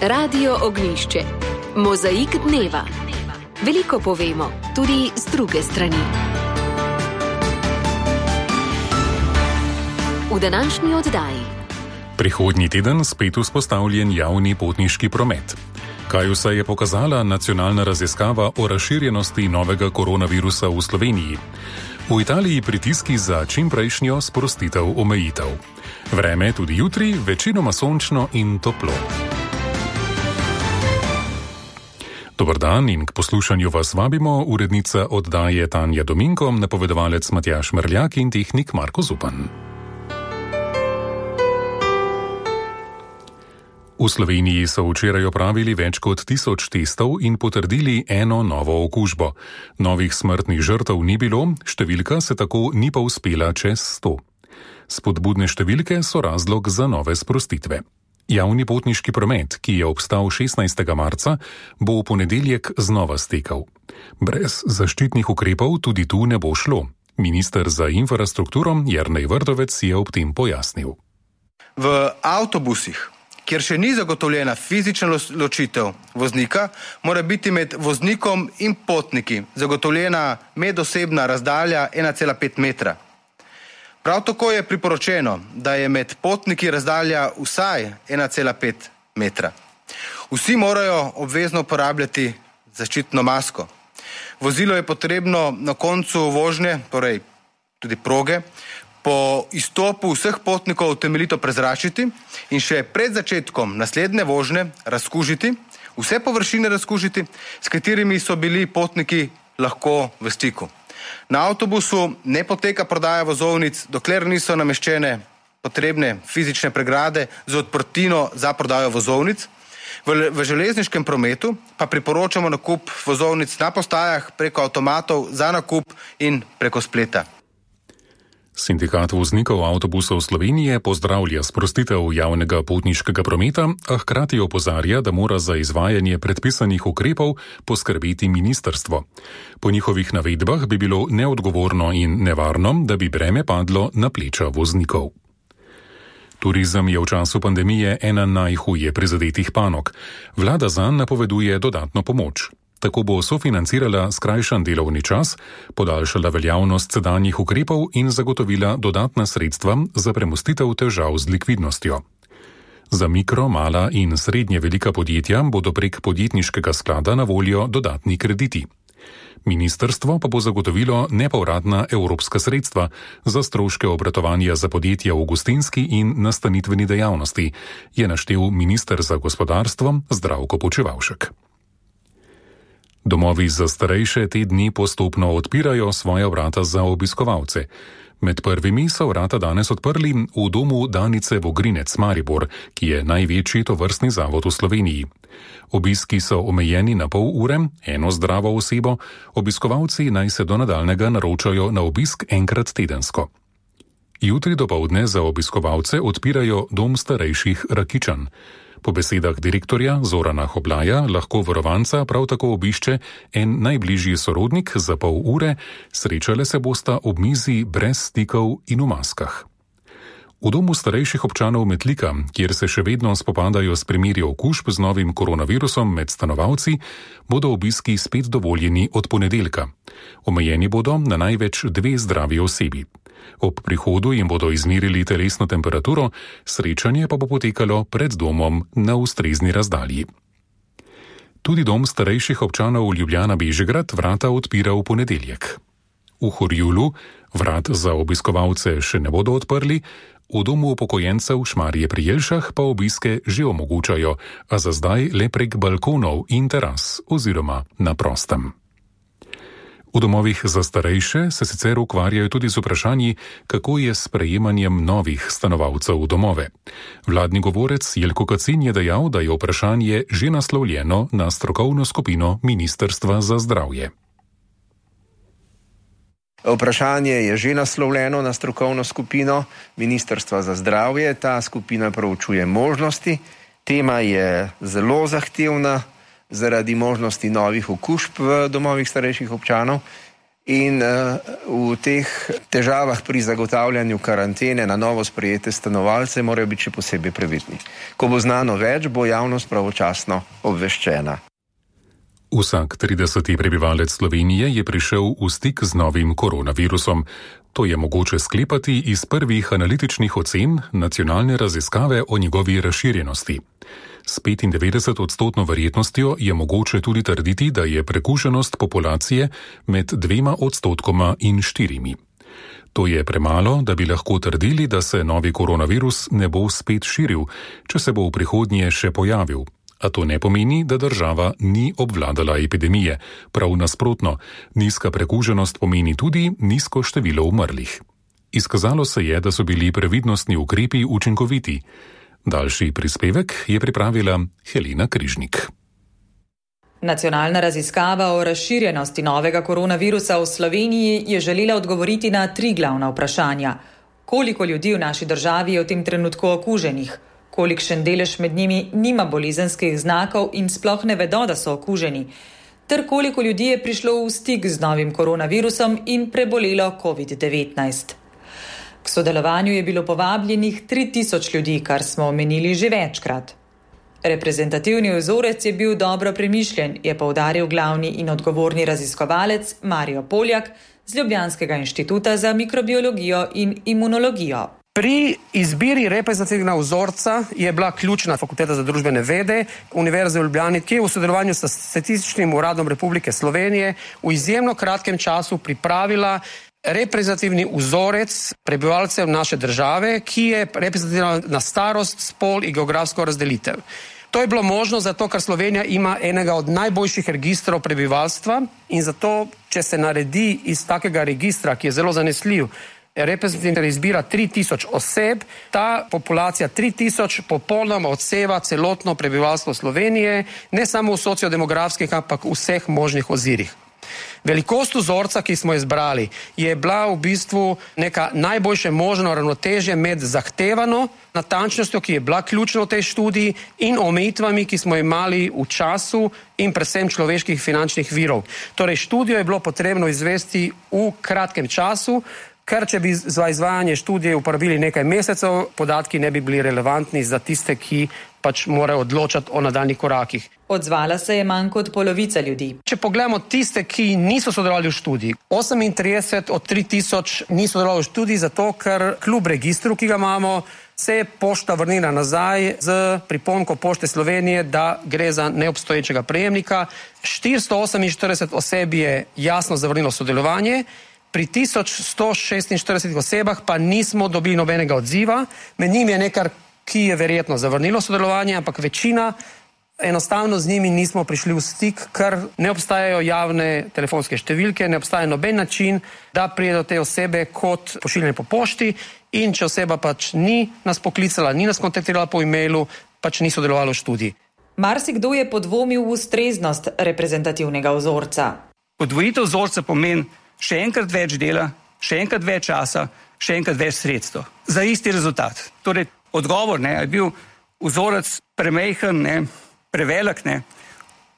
Radio Ognjišče. Mozaik dneva. Veliko povemo, tudi z druge strani. V današnji oddaji. Prihodnji teden spet vzpostavljen javni potniški promet. Kaj vse je pokazala nacionalna raziskava o razširjenosti novega koronavirusa v Sloveniji? V Italiji pritiski za čimprejšnjo sprostitev omejitev. Vreme tudi jutri, večinoma sončno in toplo. Dober dan in k poslušanju vas vabimo urednica oddaje Tanja Dominko, napovedovalec Matjaž Mrljak in tehnik Marko Zupan. V Sloveniji so včeraj opravili več kot 1000 testov in potrdili eno novo okužbo. Novih smrtnih žrtev ni bilo, številka se tako ni pa uspela čez 100. Spodbudne številke so razlog za nove sprostitve. Javni potniški promet, ki je obstal 16. marca, bo v ponedeljek znova stekel. Brez zaščitnih ukrepov tudi tu ne bo šlo. Minister za infrastrukturo Jernej Vrtovec je ob tem pojasnil. V avtobusih, kjer še ni zagotovljena fizična ločitev voznika, mora biti med voznikom in potniki zagotovljena medosebna razdalja 1,5 metra. Prav tako je priporočeno, da je med potniki razdalja vsaj 1,5 metra. Vsi morajo obvezno uporabljati zaščitno masko. Vozilo je potrebno na koncu vožnje, torej tudi proge, po izstopu vseh potnikov temeljito prezračiti in še pred začetkom naslednje vožnje razkužiti, vse površine razkužiti, s katerimi so bili potniki lahko v stiku. Na avtobusu ne poteka prodaja vozovnic, dokler niso nameščene potrebne fizične pregrade z odprtino za prodajo vozovnic. V železniškem prometu pa priporočamo nakup vozovnic na postajah preko avtomatov za nakup in preko spleta. Sindikat voznikov avtobusov Slovenije pozdravlja sprostitev javnega potniškega prometa, a hkrati opozarja, da mora za izvajanje predpisanih ukrepov poskrbeti ministrstvo. Po njihovih navedbah bi bilo neodgovorno in nevarno, da bi breme padlo na pleča voznikov. Turizem je v času pandemije ena najhuje prizadetih panog. Vlada zanj napoveduje dodatno pomoč. Tako bo sofinancirala skrajšan delovni čas, podaljšala veljavnost sedanjih ukrepov in zagotovila dodatna sredstva za premostitev težav z likvidnostjo. Za mikro, mala in srednje velika podjetja bodo prek podjetniškega sklada na voljo dodatni krediti. Ministrstvo pa bo zagotovilo nepovratna evropska sredstva za stroške obratovanja za podjetja v gostinski in nastanitveni dejavnosti, je naštel minister za gospodarstvo Zdravko Počivalšek. Domovi za starejše te dni postopno odpirajo svoja vrata za obiskovalce. Med prvimi so vrata danes odprli v domu Danice Vogrinec Maribor, ki je največji tovrstni zavod v Sloveniji. Obiski so omejeni na pol ure, eno zdravo osebo, obiskovalci naj se do nadaljnega naročajo na obisk enkrat tedensko. Jutri dopoldne za obiskovalce odpirajo dom starejših Rakičan. Po besedah direktorja Zorana Hoblaja lahko varovanca prav tako obišče en najbližji sorodnik za pol ure, srečale se bosta ob mizi brez stikov in v maskah. V domu starejših občanov Metlika, kjer se še vedno spopadajo s primeri okužb z novim koronavirusom med stanovalci, bodo obiski spet dovoljeni od ponedeljka. Omejeni bodo na največ 2 zdravi osebi. Ob prihodu jim bodo izmerili telesno temperaturo, srečanje pa bo potekalo pred domom na ustrezni razdalji. Tudi dom starejših občanov Ljubljana Bežigrad vrata odpira v ponedeljek. V Horjulu vrat za obiskovalce še ne bodo odprli, v domu upokojencev Šmarje pri Jelšah pa obiske že omogočajo, a za zdaj le prek balkonov in teras oziroma na prostem. V domovih za starejše se sicer ukvarjajo tudi z vprašanji, kako je s sprejemanjem novih stanovalcev v domove. Vladni govorec Jelko Kacin je dejal, da je vprašanje že naslovljeno na strokovno skupino Ministrstva za zdravje. Vprašanje je že naslovljeno na strokovno skupino Ministrstva za zdravje. Ta skupina proučuje možnosti. Tema je zelo zahtevna zaradi možnosti novih okužb v domovih starejših občanov In v teh težavah pri zagotavljanju karantene na novo sprejete stanovalce morajo biti še posebej previdni. Ko bo znano več, bo javnost pravočasno obveščena. Vsak 30. prebivalec Slovenije je prišel v stik z novim koronavirusom. To je mogoče sklepati iz prvih analitičnih ocen nacionalne raziskave o njegovi razširjenosti. S 95% verjetnostjo je mogoče tudi trditi, da je prekuženost populacije med 2% in 4%. To je premalo, da bi lahko trdili, da se novi koronavirus ne bo spet širil, če se bo v prihodnje še pojavil. A to ne pomeni, da država ni obvladala epidemije. Prav nasprotno, nizka prekuženost pomeni tudi nizko število umrlih. Izkazalo se je, da so bili previdnostni ukrepi učinkoviti. Daljši prispevek je pripravila Helena Križnik. Nacionalna raziskava o razširjenosti novega koronavirusa v Sloveniji je želela odgovoriti na 3 glavna vprašanja. Koliko ljudi v naši državi je v tem trenutku okuženih? Kolikšen delež med njimi nima bolezenskih znakov in sploh ne vedo, da so okuženi? Ter koliko ljudi je prišlo v stik z novim koronavirusom in prebolelo COVID-19? K sodelovanju je bilo povabljenih 3000 ljudi, kar smo omenili že večkrat. Reprezentativni vzorec je bil dobro premišljen, je poudaril glavni in odgovorni raziskovalec Mario Poljak z Ljubljanskega inštituta za mikrobiologijo in imunologijo. Pri izbiri reprezentativnega vzorca je bila ključna Fakulteta za družbene vede Univerze v Ljubljani, ki je v sodelovanju s Statističnim uradom Republike Slovenije v izjemno kratkem času pripravila reprezentativni vzorec prebivalcev naše države, ki je reprezentativen na starost, spol in geografsko razdelitev. To je bilo možno zato, ker Slovenija ima enega od najboljših registrov prebivalstva in zato, če se naredi iz takega registra, ki je zelo zanesljiv, reprezentativna izbira 3000 oseb, ta populacija 3000 popolnoma odseva celotno prebivalstvo Slovenije, ne samo v sociodemografskih, ampak v vseh možnih ozirih. Velikost vzorca, ki smo izbrali, je bila v bistvu neka najboljše možno ravnotežje med zahtevano natančnostjo, ki je bila ključna v tej študiji, in omejitvami, ki smo imeli v času in predvsem človeških finančnih virov. Torej, študijo je bilo potrebno izvesti v kratkem času, ker če bi za izvajanje študije uporabili nekaj mesecev, podatki ne bi bili relevantni za tiste, ki pač morajo odločati o nadaljnjih korakih. Odzvala se je manj kot polovica ljudi. Če pogledamo tiste, ki niso sodelovali v študiji, 38 od 3000 ni sodelovalo v študiji, zato ker kljub registru, ki ga imamo, se je pošta vrnila nazaj z pripombo Pošte Slovenije, da gre za neobstoječega prejemnika. 448 oseb je jasno zavrnilo sodelovanje, pri 1146 osebah pa nismo dobili nobenega odziva. Med njimi je nekaj, ki je verjetno zavrnilo sodelovanje, ampak večina enostavno z njimi nismo prišli v stik, ker ne obstajajo javne telefonske številke, ne obstaja noben način, da pride do te osebe kot pošiljanje po pošti, in če oseba pač ni nas poklicala, ni nas kontaktirala po e-mailu, pač ni sodelovala v študiji. Marsikdo je podvomil v ustreznost reprezentativnega vzorca. Podvojitev vzorca pomeni še enkrat več dela, še enkrat več časa, še enkrat več sredstev za isti rezultat. Torej, odgovor, je bil vzorec premejhen, prevelik,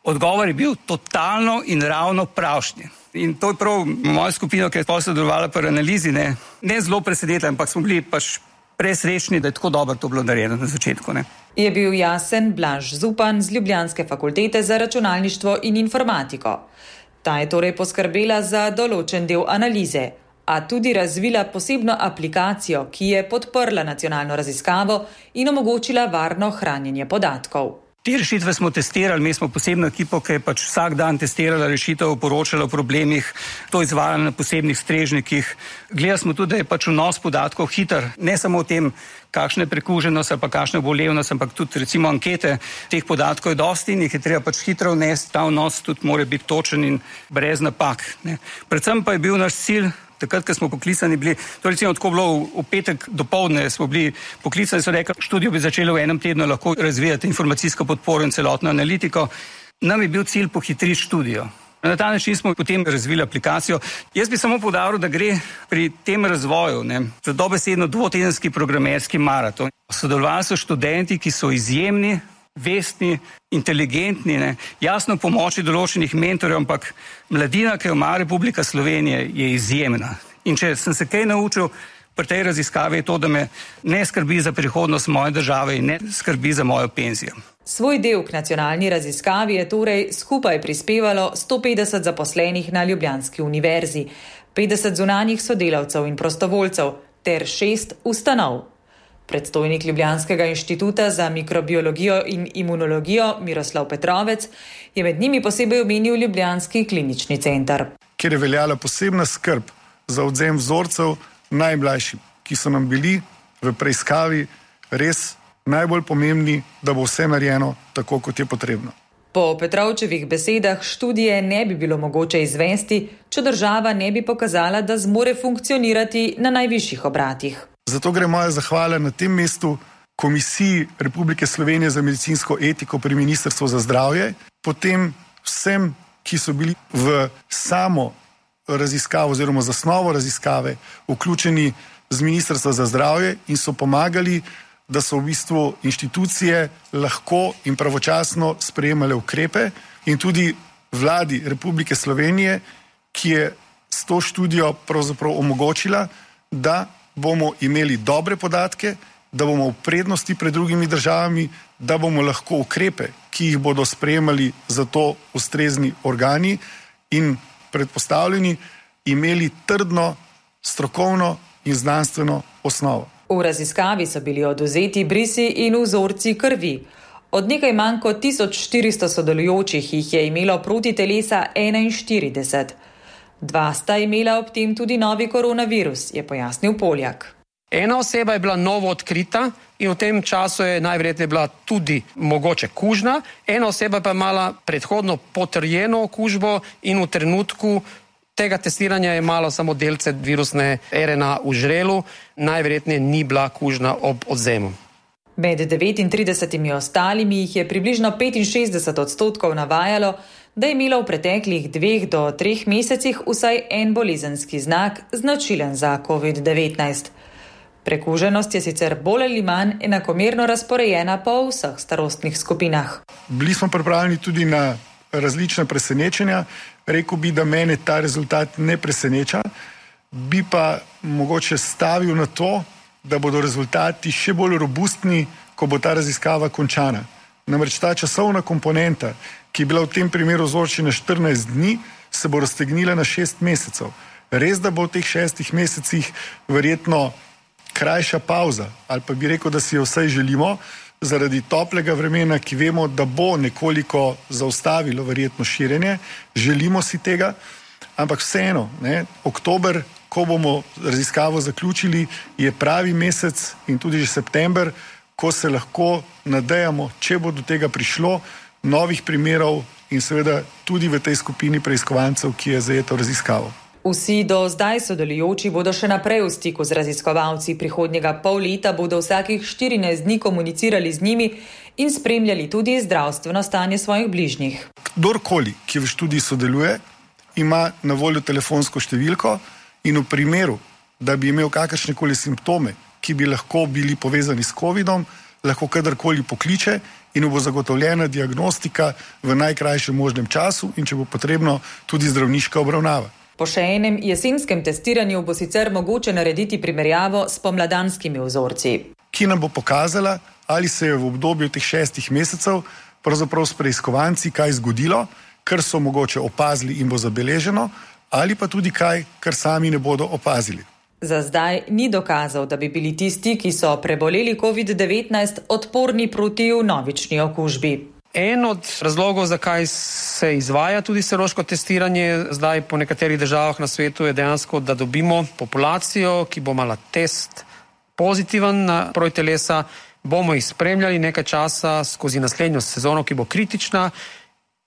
odgovor je bil totalno in ravno pravšnji. In to je prav moja skupina, ki je sodelovala pri analizi, ne zelo presenetila, ampak smo bili pač presrečni, da je tako dobro to bilo narejeno na začetku. Je bil jasen Blaž Zupan z Ljubljanske fakultete za računalništvo in informatiko. Ta je torej poskrbela za določen del analize, a tudi razvila posebno aplikacijo, ki je podprla nacionalno raziskavo in omogočila varno hranjenje podatkov. Te rešitve smo testirali, mi smo posebno ekipo, ki je pač vsak dan testirala rešitev, poročala o problemih, to izvajala na posebnih strežnikih. Gledali smo tudi, da je pač vnos podatkov hiter, ne samo o tem, kakšna je prekuženost ali pa kakšna je bolevnost, ampak tudi recimo ankete, teh podatkov je dosti in jih je treba pač hitro vnesti, ta vnos tudi mora biti točen in brez napak. Predvsem pa je bil naš cilj, takrat, ko smo poklicani bili, to recimo tako bilo v petek dopoldne smo bili poklicani, so rekli, študijo bi začeli v enem tednu lahko razvijati informacijsko podporo in celotno analitiko. Nam je bil cilj pohitriti študijo. Na ta način smo potem razvili aplikacijo. Jaz bi samo poudaril, da gre pri tem razvoju za dobesedno dvotedenski programerski maraton. Sodelovali so študenti, ki so izjemni, vestni, inteligentni, jasno pomoči določenih mentorjev, ampak mladina, ki jo ima Republika Slovenija, je izjemna. In če sem se kaj naučil pri tej raziskavi, je to, da me ne skrbi za prihodnost moje države in ne skrbi za mojo penzijo. Svoj del k nacionalni raziskavi je torej skupaj prispevalo 150 zaposlenih na Ljubljanski univerzi, 50 zunanjih sodelavcev in prostovoljcev ter 6 ustanov. Predstojnik Ljubljanskega inštituta za mikrobiologijo in imunologijo Miroslav Petrovec je med njimi posebej omenil Ljubljanski klinični center. Kjer je veljala posebna skrb za odvzem vzorcev najmlajšim, ki so nam bili v preiskavi res najbolj pomembni, da bo vse narejeno tako, kot je potrebno. Po Petrovčevih besedah študije ne bi bilo mogoče izvesti, če država ne bi pokazala, da zmore funkcionirati na najvišjih obratih. Zato gre moja zahvala na tem mestu Komisiji Republike Slovenije za medicinsko etiko pri Ministrstvu za zdravje, potem vsem, ki so bili v samo raziskavo oziroma zasnovo raziskave vključeni z Ministrstva za zdravje in so pomagali, da so v bistvu inštitucije lahko in pravočasno sprejemale ukrepe in tudi vladi Republike Slovenije, ki je s to študijo pravzaprav omogočila, da bomo imeli dobre podatke, da bomo v prednosti pred drugimi državami, da bomo lahko ukrepe, ki jih bodo sprejemali za to ustrezni organi in predpostavljeni, imeli trdno, strokovno in znanstveno osnovo. V raziskavi so bili odvzeti brisi in vzorci krvi. Od nekaj manj kot 1400 sodelujočih jih je imelo protitelesa 41. 2 sta imela ob tem tudi novi koronavirus, je pojasnil Poljak. Ena oseba je bila novo odkrita in v tem času je najverjetneje bila tudi mogoče kužna. Ena oseba pa je imala predhodno potrjeno okužbo in v trenutku tega testiranja je imala samo delce virusne RNA v žrelu, najverjetneje ni bila kužna ob odvzemu. Med 39 ostalimi jih je približno 65% navajalo, da je imelo v preteklih 2 do 3 mesecih vsaj en bolezenski znak, značilen za COVID-19. Prekuženost je sicer bolj ali manj enakomerno razporejena po vseh starostnih skupinah. Bili smo pripravljeni tudi na različna presenečenja. Rekel bi, da mene ta rezultat ne preseneča, bi pa mogoče stavil na to, da bodo rezultati še bolj robustni, ko bo ta raziskava končana. Namreč ta časovna komponenta, ki je bila v tem primeru vzorčena 14 dni, se bo raztegnila na 6 mesecev. Res, da bo v teh 6 mesecih verjetno krajša pauza, ali pa bi rekel, da si jo vsaj želimo, zaradi toplega vremena, ki vemo, da bo nekoliko zaustavilo verjetno širjenje, želimo si tega, ampak vseeno, oktober, ko bomo raziskavo zaključili, je pravi mesec in tudi že september, ko se lahko nadejamo, če bo do tega prišlo, novih primerov in seveda tudi v tej skupini preiskovancev, ki je zajeto raziskavo. Vsi do zdaj sodelujoči bodo še naprej v stiku z raziskovalci. Prihodnjega pol leta bodo vsakih 14 dni komunicirali z njimi in spremljali tudi zdravstveno stanje svojih bližnjih. Kdorkoli, ki v študiji sodeluje, ima na voljo telefonsko številko in v primeru, da bi imel kakršnekoli simptome, ki bi lahko bili povezani s COVID-om, lahko kadarkoli pokliče in bo zagotovljena diagnostika v najkrajšem možnem času in če bo potrebno tudi zdravniška obravnava. Po še enem jesenskem testiranju bo sicer mogoče narediti primerjavo s pomladanskimi vzorci. Ki nam bo pokazala, ali se je v obdobju teh 6 mesecev pravzaprav s preiskovanci kaj zgodilo, kar so mogoče opazili in bo zabeleženo, ali pa tudi kaj, kar sami ne bodo opazili. Za zdaj ni dokazal, da bi bili tisti, ki so preboleli COVID-19, odporni proti vnovični okužbi. En od razlogov, zakaj se izvaja tudi serološko testiranje zdaj po nekaterih državah na svetu, je dejansko, da dobimo populacijo, ki bo imela test pozitiven na protitelesa, bomo jih spremljali nekaj časa skozi naslednjo sezono, ki bo kritična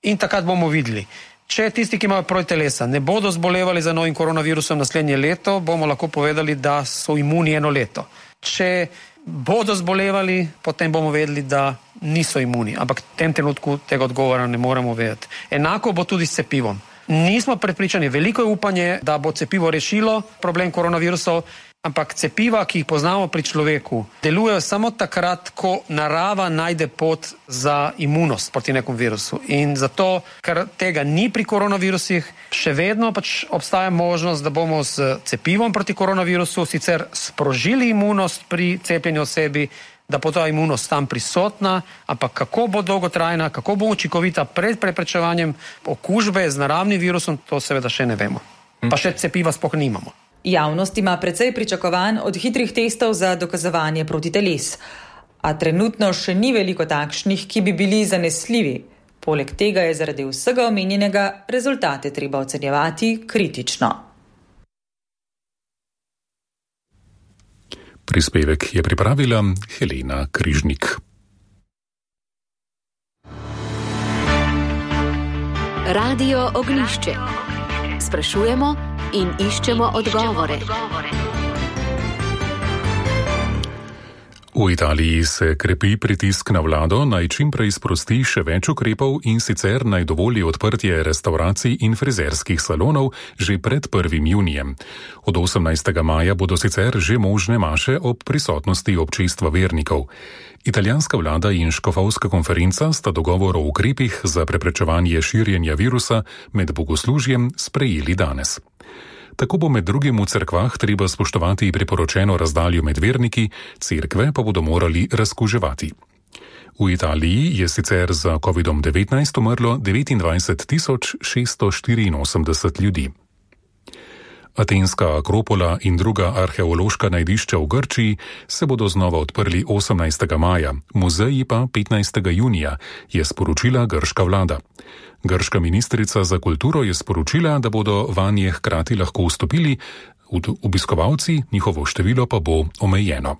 in takrat bomo videli. Če tisti, ki imajo protitelesa, ne bodo zbolevali za novim koronavirusom naslednje leto, bomo lahko povedali, da so imuni 1 leto. Če bodo zbolevali, potem bomo vedeli, da niso imuni. Ampak v tem trenutku tega odgovora ne moremo vedeti. Enako bo tudi s cepivom. Nismo prepričani, veliko je upanje, da bo cepivo rešilo problem koronavirusov, ampak cepiva, ki jih poznamo pri človeku, delujejo samo takrat, ko narava najde pot za imunost proti nekom virusu. In zato, ker tega ni pri koronavirusih, še vedno obstaja možnost, da bomo s cepivom proti koronavirusu sicer sprožili imunost pri cepljenju osebi, da bo ta imunost tam prisotna, ampak kako bo dolgotrajna, kako bo učinkovita pred preprečevanjem okužbe z naravnim virusom, to seveda še ne vemo. Pa še cepiva sploh nimamo. Javnost ima precej pričakovanj od hitrih testov za dokazovanje protiteles. A trenutno še ni veliko takšnih, ki bi bili zanesljivi. Poleg tega je zaradi vsega omenjenega rezultate treba ocenjevati kritično. Prispevek je pripravila Helena Križnik. Radio Oglišče. Sprašujemo in iščemo odgovore. V Italiji se krepi pritisk na vlado, naj čim prej sprosti še več ukrepov in sicer naj dovoli odprtje restavracij in frizerskih salonov že pred 1. junijem. Od 18. maja bodo sicer že možne maše ob prisotnosti občestva vernikov. Italijanska vlada in škofovska konferenca sta dogovor o ukrepih za preprečevanje širjenja virusa med bogoslužjem sprejeli danes. Tako bo med drugim v cerkvah treba spoštovati priporočeno razdaljo med verniki, cerkve pa bodo morali razkuževati. V Italiji je sicer za COVID-19 umrlo 29 684 ljudi. Atenska Akropola in druga arheološka najdišča v Grčiji se bodo znova odprli 18. maja, muzeji pa 15. junija, je sporočila grška vlada. Grška ministrica za kulturo je sporočila, da bodo vanje hkrati lahko vstopili obiskovalci, njihovo število pa bo omejeno.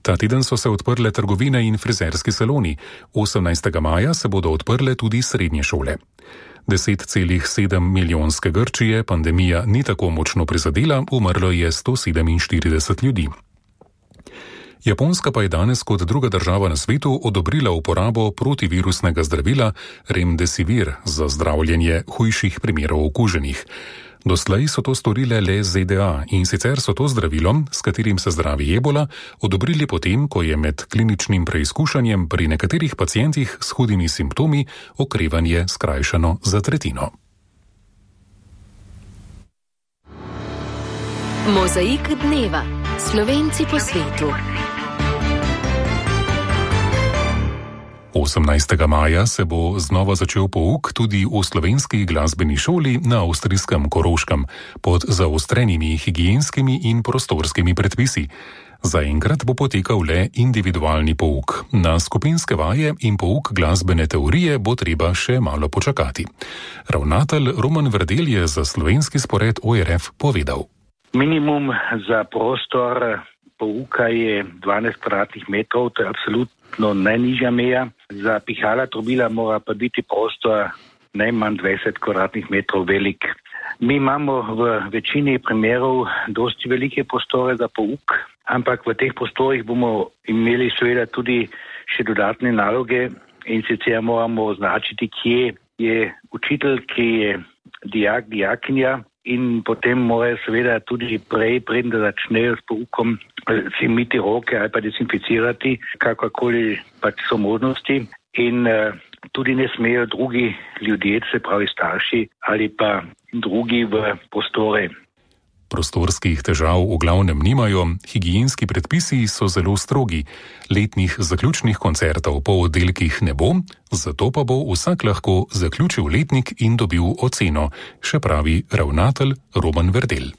Ta teden so se odprle trgovine in frizerski saloni, 18. maja se bodo odprle tudi srednje šole. 10,7 milijonske Grčije pandemija ni tako močno prizadela, umrlo je 147 ljudi. Japonska pa je danes kot druga država na svetu odobrila uporabo protivirusnega zdravila Remdesivir za zdravljenje hujših primerov okuženih. Doslej so to storile le ZDA in sicer so to zdravilo, s katerim se zdravi ebola, odobrili potem, ko je med kliničnim preizkušanjem pri nekaterih pacientih s hudimi simptomi okrevanje skrajšano za tretjino. Mozaik dneva. Slovenci po svetu. 18. maja se bo znova začel pouk tudi v slovenski glasbeni šoli na avstrijskem Koroškem pod zaostrenimi higienskimi in prostorskimi predpisi. Zaenkrat bo potekal le individualni pouk. Na skupinske vaje in pouk glasbene teorije bo treba še malo počakati. Ravnatelj Roman Verdel je za slovenski spored ORF povedal. Minimum za prostor pouka je 12 kvadratnih metrov, to je absolutno najnižja meja. Za pihala trobila mora pa biti prostor najmanj 20 kvadratnih metrov velik. Mi imamo v večini primerov dosti velike prostore za pouk, ampak v teh prostorih bomo imeli seveda tudi še dodatne naloge in sicer moramo označiti, kje je učitelj, kje je dijak, dijakinja. In potem morajo seveda tudi prej, preden da začnejo s poukom, si miti roke ali pa dezinficirati, kakorkoli pač so možnosti. In tudi ne smejo drugi ljudje, se pravi starši ali pa drugi v prostore. Prostorskih težav v glavnem nimajo, higienski predpisi so zelo strogi. Letnih zaključnih koncertov po oddelkih ne bo, zato pa bo vsak lahko zaključil letnik in dobil oceno, še pravi ravnatelj Roman Verdel.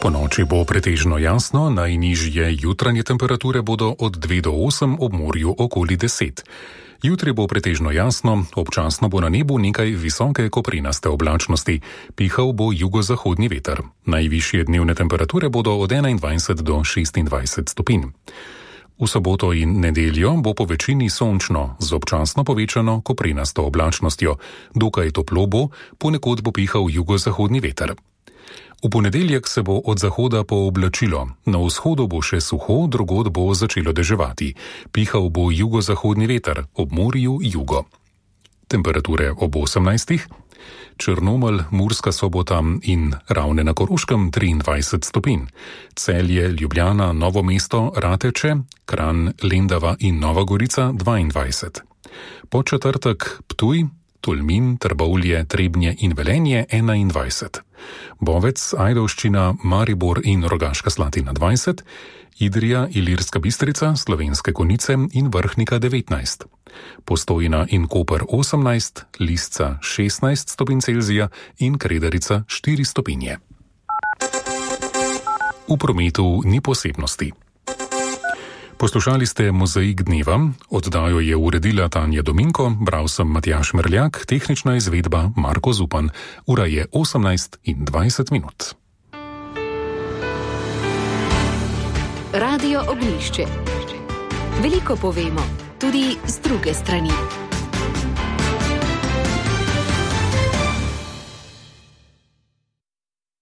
Ponoči bo pretežno jasno, najnižje jutranje temperature bodo od 2 do 8, ob morju okoli 10. Jutri bo pretežno jasno, občasno bo na nebu nekaj visoke koprinaste oblačnosti, pihal bo jugozahodni veter. Najvišje dnevne temperature bodo od 21 do 26 stopinj. V soboto in nedeljo bo po večini sončno, z občasno povečano koprinasto oblačnostjo. Dokaj toplo bo, ponekod bo pihal jugozahodni veter. V ponedeljek se bo od zahoda pooblačilo, na vzhodu bo še suho, drugod bo začelo deževati. Pihal bo jugozahodni veter, ob morju jugo. Temperature ob 18. Črnomelj, Murska Sobota in Ravne na Koroškem 23 stopinj, Celje, Ljubljana, Novo mesto, Rateče, Kranj, Lendava in Nova Gorica 22. Po četrtek Ptuj, Tolmin, Trbovlje, Trebnje in Velenje 21. Bovec, Ajdovščina, Maribor in Rogaška Slatina 20, Idrija, Ilirska Bistrica, Slovenske Konjice in Vrhnika 19. Postojna in Koper 18, Lisca 16 stopinj Celzija in Kredarica 4 stopinje. V prometu ni posebnosti. Poslušali ste Mozaik dneva, oddajo je uredila Tanja Dominko, bral sem Matjaž Merljak, tehnična izvedba Marko Zupan. Ura je 18:20. Radio Ognjišče. Veliko povemo, tudi z druge strani.